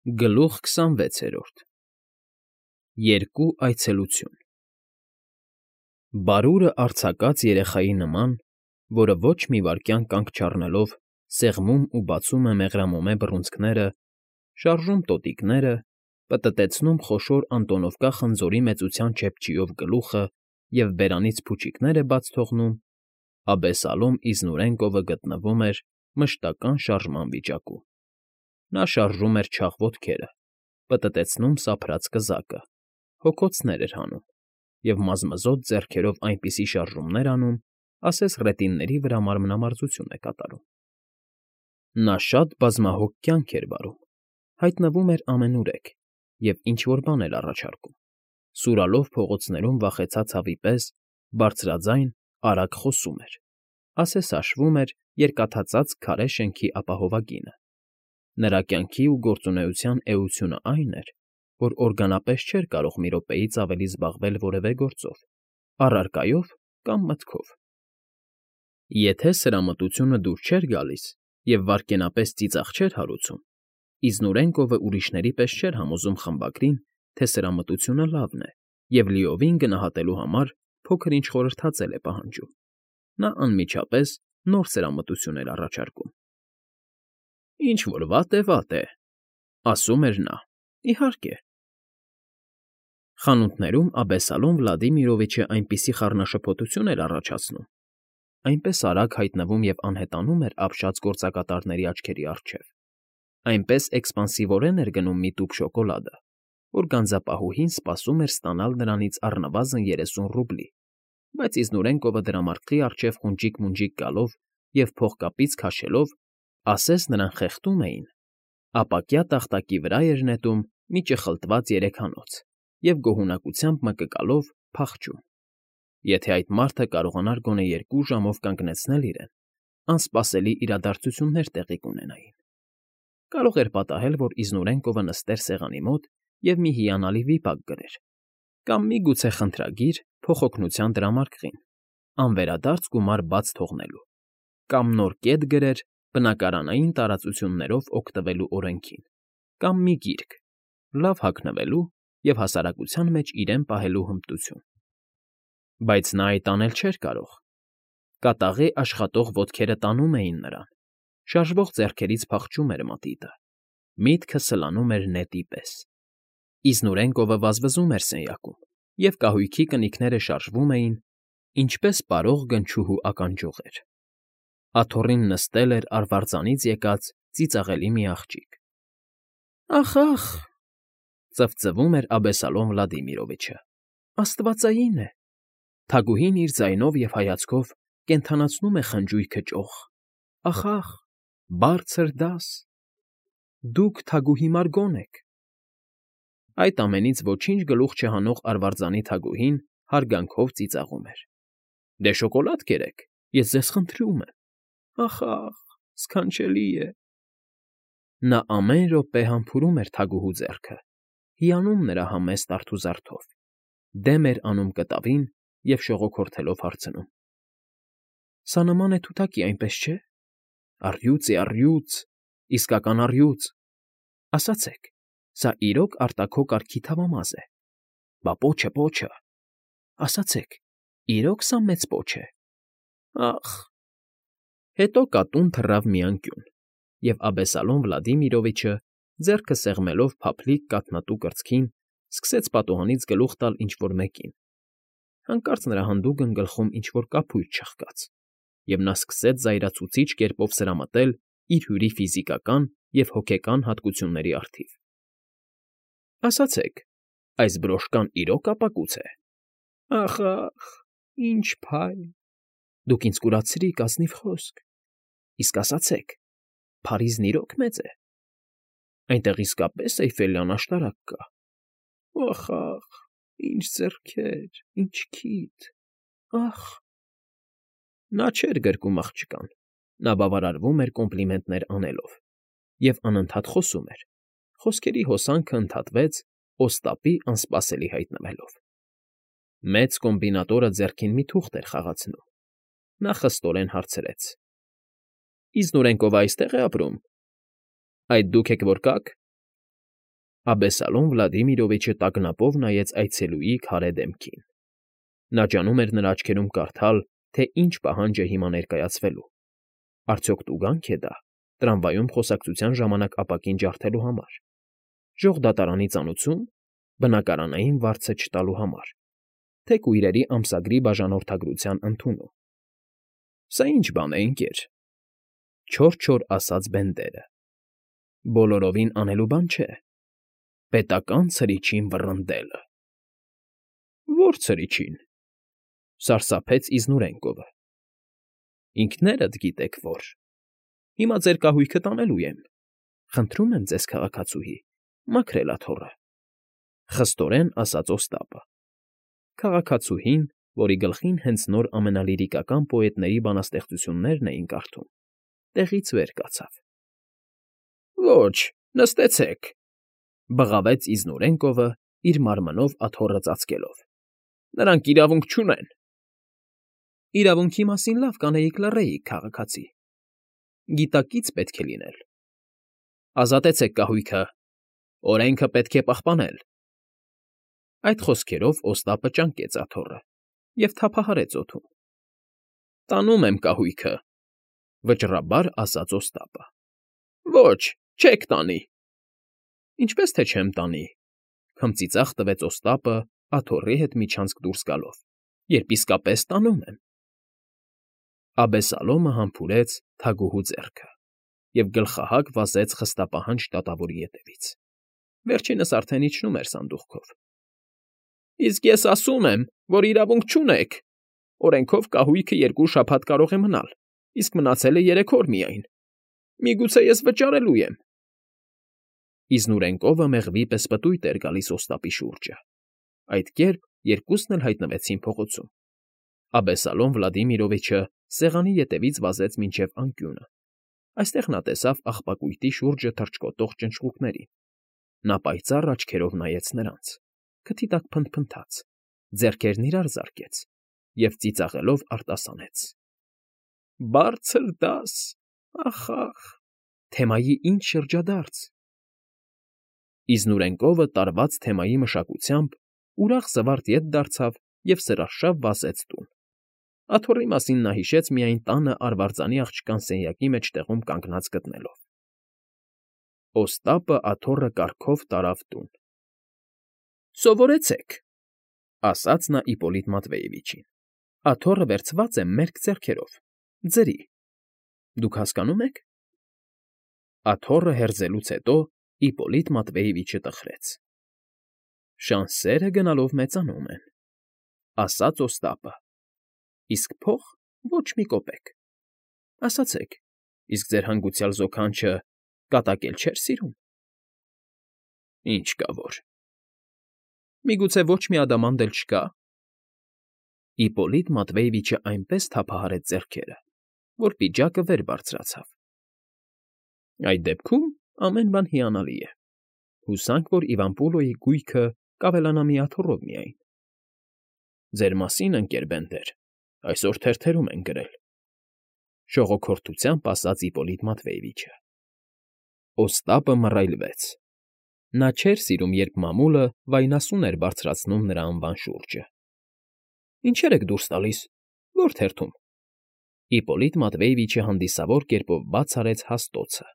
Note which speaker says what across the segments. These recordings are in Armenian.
Speaker 1: Գլուխ 26։ Երկու այցելություն։ Բարուրը արձակաց երեխայի նման, որը ոչ մի վայրկյան կանգ չառնելով սեղմում ու բացում է մեղրամոմե բռունցքները, շարժում տոտիկները, պտտեցնում խոշոր Անտոնովկա խնձորի մեծության չեփչիով գլուխը և բերանից փուչիկներ է բաց թողնում, Աբեսալոմ Իզնուրենկովը գտնվում էր մշտական շարժման վիճակում։ Նա շարժում էր չաղ ոտքերը, պտտեցնում սափրած կզակը, հոգոցներ էր հանում և մազմզոտ ձեռքերով այնպիսի շարժումներ անում, ասես ռետինների վրա մարմնամարզություն է կատարում։ Նա շատ բազմահոգ կյանք էր վարում, հայտնվում էր ամենուրեք և ինչ֊որ բան էր առաջարկում, սուրալով փողոցներում վախեցած հավի պես բարձրաձայն, արագ խոսում էր, ասես հաշվում էր երկաթածածկ քարե շենքի ապահովագինը։ Նրա կյանքի ու գործունեության էությունն այն էր, որ օրգանապես չէր կարող մի րոպեից ավելի զբաղվել որևէ գործով, առարկայով կամ մտքով։ Եթե սրամտությունը դուր չէր գալիս և վայրկենապես ծիծաղ չէր հարուցում, Իզնուրենկովը ուրիշների պես չէր համոզում խմբագրին, թե սրամտությունը լավն է և լիովին գնահատելու համար փոքր֊ինչ խորհրդածել է պահանջում։ Նա անմիջապես նոր սրամտություն էր առաջարկում։ Ինչ֊որ վատ է, ասում էր նա, իհարկե։ Խանութներում Աբեսալոմ Վլադիմիրովիչը այնպիսի խառնաշփոթություն էր առաջացնում, այնպես արագ հայտնվում և անհետանում էր ապշած գործակատարների աչքերի առջև, այնպես էքսպանսիվորեն էր գնում մի տուփ շոկոլադը, որ գանձապահուհին սպասում էր ստանալ նրանից առնվազն 30 ռուբլի, բայց Իզնուրենկովը դրամարկղի առջև խունջիկ֊մունջիկ գալով և փողկապից քաշելով, ասես նրան խեղդում էին, ապակյա տախտակի վրա էր նետում մի ճխլտված երեխանոց և գոհունակությամբ մկկալով փախչում։ Եթե այդ մարդը կարողանար գոնե 2 ժամով կանգնեցնել իրեն, անսպասելի իրադարձություններ տեղի կունենային։ Կարող էր պատահել, որ Իզնուրենկովը նստեր սեղանի մոտ և մի հիանալի վիպակ գրեր, կամ միգուցե խնդրագիր փոխօգնության դրամարկղին, անվերադարձ գումար բաց թողնելու, կամ նոր կետ գրեր բնակարանային տարածություններով օգտվելու օրենքին, կամ մի գիրք, լավ հագնվելու և հասարակության մեջ իրեն պահելու հմտություն։ Բայց նա այդ անել չէր կարող։ Կատաղի աշխատող ոտքերը տանում էին նրան, շարժվող ձեռքերից փախչում էր մատիտը, միտքը սլանում էր նետի պես։ Իզնուրենկովը վազվզում էր սենյակում, և կահույքի կնիկները շարժվում էին, ինչպես պարող գնչուհու ականջողեր։ Աթոռին նստել էր արվարձանից եկած ծիծաղելի մի աղջիկ։ Ախ, ծվծվում էր Աբեսալոմ Վլադիմիրովիչը, աստվածային է։ Թագուհին իր ձայնով և հայացքով կենդանացնում է խնջույքը ճոխ։ Ախ, բարձր դաս։ Դուք թագուհի Մարգոն եք։ Այդ ամենից ոչինչ գլուխ չհանող արվարձանի թագուհին հարգանքով ծիծաղում էր։ Դե շոկոլադ կերեք, ես ձեզ խնդրում եմ։ Ախ, սքանչելի է։ Նա ամեն րոպե համբուրում էր թագուհու ձեռքը, հիանում նրա համեստ արթուզարդով, դեմ էր անում կտավին և շողոքորթելով հարցնում. Սա նման է թութակի, այնպես չէ՞։ Առյուծ է, առյուծ, իսկական առյուծ։ Ասացեք, սա իրոք արտաքո կարգի թավամաս է։ Բա պոչը։ Ասացեք, իրոք սա մեծ պոչ է։ Ախ։ Հետո կատուն թռավ մի անկյուն, և Աբեսալոմ Վլադիմիրովիչը, ձեռքը սեղմելով փափլիկ կաթնատու կրծքին, սկսեց պատուհանից գլուխ տալ ինչ֊որ մեկին։ Հանկարծ նրա հանդուգն գլխում ինչ֊որ կափույտ չխկաց, և նա սկսեց զայրացուցիչ կերպով սրամտել իր հյուրի ֆիզիկական և հոգեկան հատկությունների առթիվ։ Ասացեք, այս բրոշկան իրոք ապակուց է։ Ախ, ինչ փայլ։ Դուք ինձ կուրացրիք, ազնիվ խոսք։ Իսկ ասացեք, Փարիզն իրոք մեծ է։ Այնտեղ իսկապես Էյֆելյան աշտարակ կա։ Ախ, ինչ ձեռքեր, ինչ քիթ։ Ախ։ Նա չէր գրկում աղջկան, նա բավարարվում էր կոմպլիմենտներ անելով և անընդհատ խոսում էր, խոսքերի հոսանքը ընդհատվեց Օստապի անսպասելի հայտնվելով։ Մեծ կոմբինատորը ձեռքին մի թուղթ էր խաղացնում։ Նա խստորեն հարցրեց. Իզնուրենկովը այստե՞ղ է ապրում։ Այդ դուք եք, որ կաք։ Աբեսալոմ Վլադիմիրովիչը տագնապով նայեց այցելուի քարե դեմքին։ Նա ջանում էր նրա աչքերում կարդալ, թե ինչ պահանջ է հիմա ներկայացվելու։ Արդյոք տուգա՞նք է դա տրամվայում խոսակցության ժամանակ ապակին ջարդելու համար, ժողդատարանի ծանուցում, բնակարանային վարձը չտալու համար, թե կույրերի ամսագրի բաժանորդագրության ընդունում։ Սա ի՞նչ բան է, ընկեր, չոր ասաց Բենդերը։ Բոլորովին անելու բան չէ։ Պետական ցրիչին վռնդելը։ Ո՞ր ցրիչին,֊ սարսափեց Իզնուրենկովը։ Ինքներդ գիտեք որ։ Հիմա ձեր կահույքը տանելու եմ։ Խնդրում եմ ձեզ, քաղաքացուհի, մաքրել աթոռը,֊ խստորեն ասաց Օստապը։ Քաղաքացուհին, որի գլխին հենց նոր ամենալիրիկական պոետների բանաստեղծություններն էին կարդում, տեղից վեր կացավ։ Ոչ, նստեցեք,֊ բղավեց Իզնուրենկովը, իր մարմնով աթոռը ծածկելով։ Նրանք իրավունք չունեն։ Իրավունքի մասին լավ կանեիք լռեիք, քաղաքացի։ Գիտակից պետք է լինել։ Ազատեցեք կահույքը։ Օրենքը պետք է պահպանել։ Այդ խոսքերով Օստապը ճանկեց աթոռը և թափահարեց օդում։ Տանում եմ կահույքը,֊ վճռաբար ասաց Օստապը։ Ոչ, չեք տանի։ Ինչպես թե չեմ տանի,֊ քմծիծաղ տվեց Օստապը աթոռի հետ միջանցք դուրս գալով,֊ երբ իսկապես տանում եմ։ Աբեսալոմը համբուրեց թագուհու ձեռքը և գլխահակ վազեց խստապահանջ դատավորի ետևից։ Վերջինս արդեն իջնում էր սանդուղքով։ Իսկ ես ասում եմ, որ իրավունք չունեք։ Օրենքով կահույքը 2 շաբաթ կարող է մնալ, իսկ մնացել է 3 օր միայն։ Միգուցե ես վճարելու եմ։ Իզնուրենկովը մեղվի պես պտույտ էր գալիս Օստապի շուրջը։ Այդ կերպ երկուսն էլ հայտնվեցին փողոցում։ Աբեսալոմ Վլադիմիրովիչը սեղանի ետևից վազեց մինչև անկյունը։ Այստեղ նա տեսավ աղբակույտի շուրջը թռչկոտող ճնճղուկներին։ Նա պայծառ աչքերով նայեց նրանց, քթի տակ փնթփնթաց, ձեռքերն իրար զարկեց և ծիծաղելով արտասանեց. Բարձր դաս, ախ, թեմայի ինչ շրջադարձ։ Իզնուրենկովը տարված թեմայի մշակությամբ ուրախ զվարթ ետ դարձավ և սրարշավ վազեց տուն։ Աթոռի մասին նա հիշեց միայն տանը արվարձանի աղջկան սենյակի մեջտեղում կանգնած գտնելով։ Օստապը աթոռը կառքով տարավ տուն։ Սովորեցեք,֊ ասաց նա Իպոլիտ Մատվեևիչին։ Աթոռը վերցված է մերկ ձեռքերով, ձրի։ Դուք հասկանո՞ւմ եք։ Աթոռը հերձելուց հետո Իպոլիտ Մատվեևիչը տխրեց։ Շանսերը գնալով մեծանում են,֊ ասաց Օստապը։ Իսկ փող ոչ մի կոպեկ։ Ասացեք, իսկ ձեր հանգուցյալ զոքանչը կատակել չէր սիրում։ Ինչ կա որ։ Միգուցե ոչ մի ադամանդ էլ չկա։ Իպոլիտ Մատվեևիչը այնպես թափահարեց ձեռքերը, որ պիջակը վեր բարձրացավ։ Այդ դեպքում ամեն բան հիանալի է։ Հուսանք, որ Իվան Պոլոյի գույքը կավելանա մի աթոռով միայն։ Ձեր մասին, ընկեր Բենդեր, այսօր թերթերում են գրել,֊ շողոքորթությամբ ասաց Իպոլիտ Մատվեևիչը։ Օստապը մռայլվեց։ Նա չէր սիրում, երբ մամուլը վայնասուն էր բարձրացնում նրա անվան շուրջը։ Ինչեր եք դուրս տալիս, ո՞ր թերթում։ Իպոլիտ Մատվեևիչը հանդիսավոր կերպով բաց արեց հաստոցը։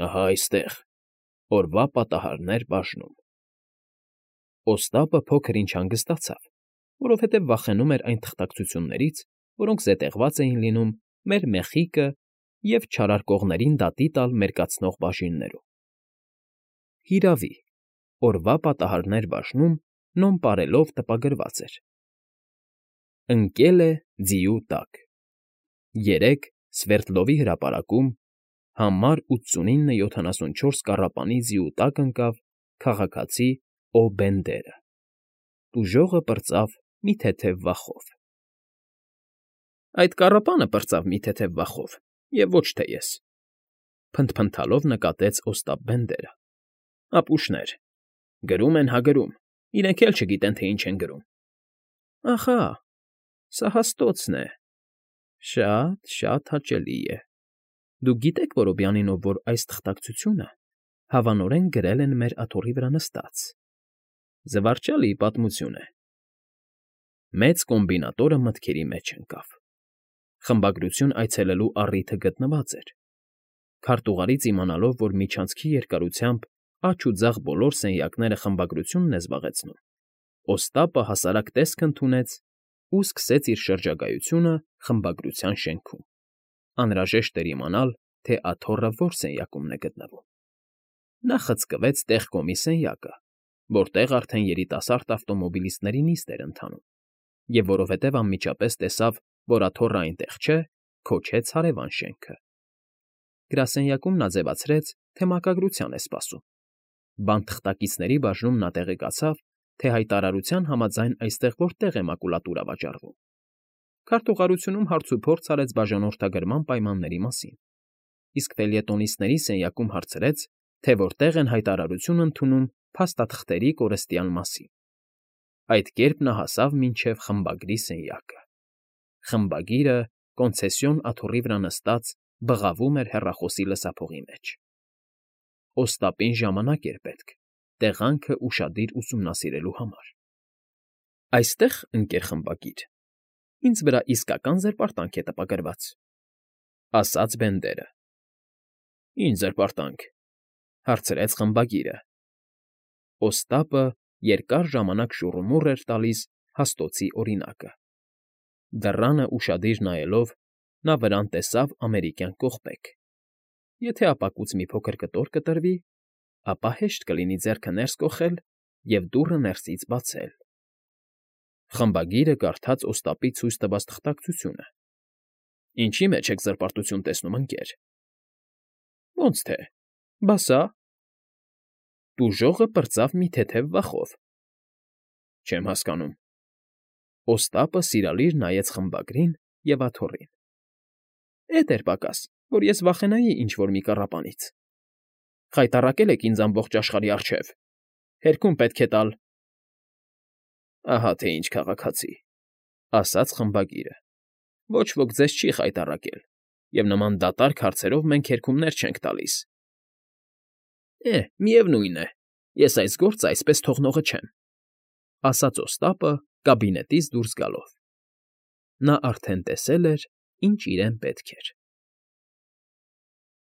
Speaker 1: Ահա այստեղ, օրվա պատահարներ բաժնում։ Օստապը փոքր-ինչ հանգստացավ, որովհետև վախենում էր այն թղթակցություններից, որոնք զետեղված էին լինում մեր Մեխիկը և չարարկողներին դատի տալ մերկացնող բաժիններում։ Հիրավի, օրվա պատահարներ բաժնում նոմպարելով տպագրված էր. Ընկել է ձիու տակ։ 3 Սվերտլովի հրապարակում համար 8974 կառապանի ձիու տակ ընկավ քաղաքացի Օ. Բենդերը։ Տուժողը պրծավ մի թեթև վախով։ Այդ կառապանը պրծավ մի թեթև վախով, և ոչ թե ես,֊ փնթփնթալով նկատեց Օստապ Բենդերը։ Ապուշներ, գրում են հա գրում, իրենք էլ չգիտեն, թե ինչ են գրում։ Ախա, սա հաստոցն է։ Շատ հաճելի է։ Դուք գիտե՞ք, Որոբյանինով, որ այս թղթակցությունը Հավանորեն գրել են մեր աթոռի վրա նստած։ Զվարճալի պատմություն է։ Մեծ կոմբինատորը մտքերի մեջ ընկավ։ Խմբագրություն այցելելու առիթը գտնված էր։ Քարտուղարից իմանալով, որ միջանցքի երկարությամբ աջ ու ձախ բոլոր սենյակները խմբագրությունն է զբաղեցնում, Օստապը հասարակ տեսք ընդունեց ու սկսեց իր շրջագայությունը խմբագրության շենքում։ Անհրաժեշտ էր իմանալ, թե աթոռը որ սենյակումն է գտնվում։ Նա խցկվեց տեղ-կոմի սենյակը, որտեղ արդեն երիտասարդ ավտոմոբիլիստների նիստ էր ընթանում, և որովհետև անմիջապես տեսավ, որ աթոռը այնտեղ չէ, քոչեց հարևան շենքը։ Գրասենյակում նա ձևացրեց, թե մակագրության է սպասում։ Բանթխտակիցների բաժնում նա տեղեկացավ, թե հայտարարության համաձայն այստեղ որտեղ է մակուլատուրա վաճառվում։ Քարտուղարությունում հարցուփորձ արեց բաժանորդագրման պայմանների մասին, իսկ ֆելյետոնիստների սենյակում հարցրեց, թե որտեղ են հայտարարություն ընդունում փաստաթղթերի կորստյան մասին։ Այդ կերպ նա հասավ մինչև խմբագրի սենյակը։ Խմբագիրը կոնցեսիոն աթոռի վրա նստած բղավում էր հեռախոսի լսափողի մեջ։ Օստապին ժամանակ էր պետք տեղանքը ուշադիր ուսումնասիրելու համար։ Այստեղ, ընկեր խմբագիր, ինձ վրա իսկական զրպարտանք է տպագրված, ասաց Բենդերը։ Ինչ զրպարտանք, հարցրեց խմբագիրը։ Օստապը երկար ժամանակ շուռումուռ էր տալիս հաստոցի օրինակը։ Դռանը ուշադիր նայելով, նա վրան տեսավ ամերիկյան կողպեք։ Եթե ապակուց մի փոքր կտոր կտրվի, ապա հեշտ կլինի ձեռքը ներս կոխել և դուռը ներսից բացել։ Խմբագիրը կարդաց Օստապի ցույց տված թղթակցությունը։ Ինչի մեջ եք զրպարտություն տեսնում, ընկեր։ Ոնց թե, բա սա։ Տուժողը պրծավ մի թեթև վախով։ Չեմ հասկանում։ Օստապը սիրալիր նայեց խմբագրին և աթոռին։ Էդ էր պակաս, որ ես վախենայի ինչ֊որ մի կառապանից։ Խայտառակել եք ինձ ամբողջ աշխարհի առջև։ Հերքում պետք է տալ։ Ահա թե ինչ քաղաքացի, ասաց խմբագիրը։ Ոչ ոք ձեզ չի խայտառակել, և նման դատարկ հարցերով մենք հերքումներ չենք տալիս։ Միևնույն է, ես այս գործը այսպես թողնողը չեմ, ասաց Օստապը կաբինետից դուրս գալով։ Նա արդեն տեսել էր, ինչ իրեն պետք էր։